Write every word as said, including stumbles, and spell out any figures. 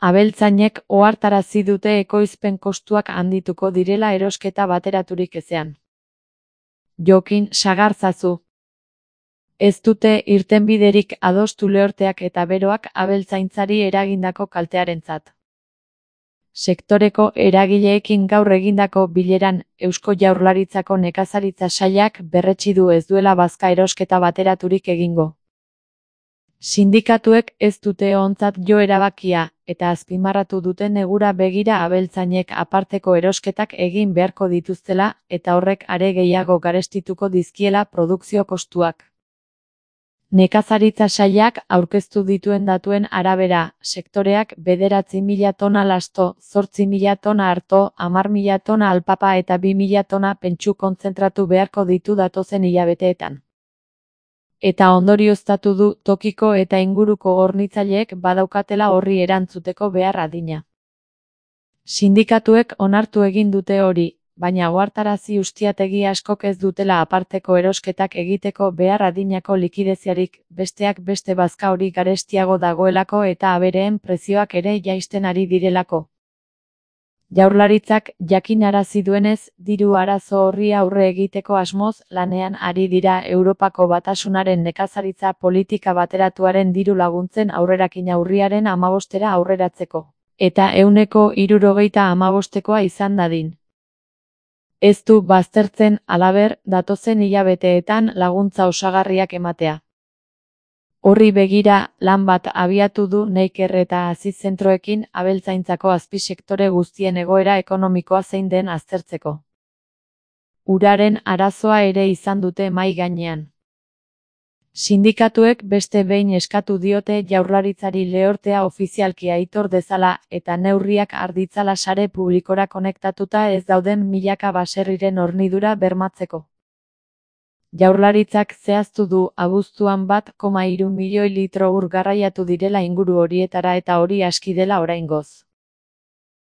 Abeltzainek ohartarazi dute ekoizpen kostuak handituko direla erosketa bateraturik ezean. Jokin sagartzazu. Ez dute irtenbiderik adostu lehorteak eta beroak abeltzaintzari eragindako kaltearentzat. Sektoreko eragileekin gaur egindako bileran, Eusko Jaurlaritzako nekazaritza sailak berretsi du ez duela bazka erosketa bateraturik egingo. Sindikatuek ez dute ontzat jo erabakia, eta azpimarratu dute negura begira abeltzainek aparteko erosketak egin beharko dituztela, eta horrek are gehiago garestituko dizkiela produkzio kostuak. Nekazaritza sailak aurkeztu dituen datuen arabera, sektoreak bederatzi mila tona lasto, zortzi mila tona arto, hamar mila tona alpapa eta bi mila tona pentsu kontzentratu beharko ditu datozen hilabeteetan. Eta ondorioztatu du tokiko eta inguruko hornitzaileek badaukatela horri erantzuteko behar adina. Sindikatuek onartu egin dute hori, baina ohartarazi ustiategi askok ez dutela aparteko erosketak egiteko behar adinako likideziarik, besteak beste bazka hori garestiago dagoelako eta abereen prezioak ere jaisten ari direlako. Jaurlaritzak jakinarazi duenez, diru arazo horri aurre egiteko asmoz lanean ari dira Europako Batasunaren nekazaritza politika bateratuaren diru laguntzen aurrerakin urriaren hamabostera aurreratzeko, eta ehuneko hirurogeita hamabostekoa izan dadin. Ez du baztertzen, halaber, datozen hilabeteetan laguntza osagarriak ematea. Horri begira, lan bat abiatu du Neiker eta Hazi zentroekin abeltzaintzako azpisektore guztien egoera ekonomikoa zein den aztertzeko. Uraren arazoa ere izan dute mahai gainean. Sindikatuek beste behin eskatu diote Jaurlaritzari lehortea ofizialki aitor dezala eta neurriak har ditzala sare publikora konektatuta ez dauden milaka baserriren hornidura bermatzeko. Jaurlaritzak zehaztu du abuztuan bat koma hiru milioi litro ur garraiatu direla inguru horietara eta hori aski dela oraingoz.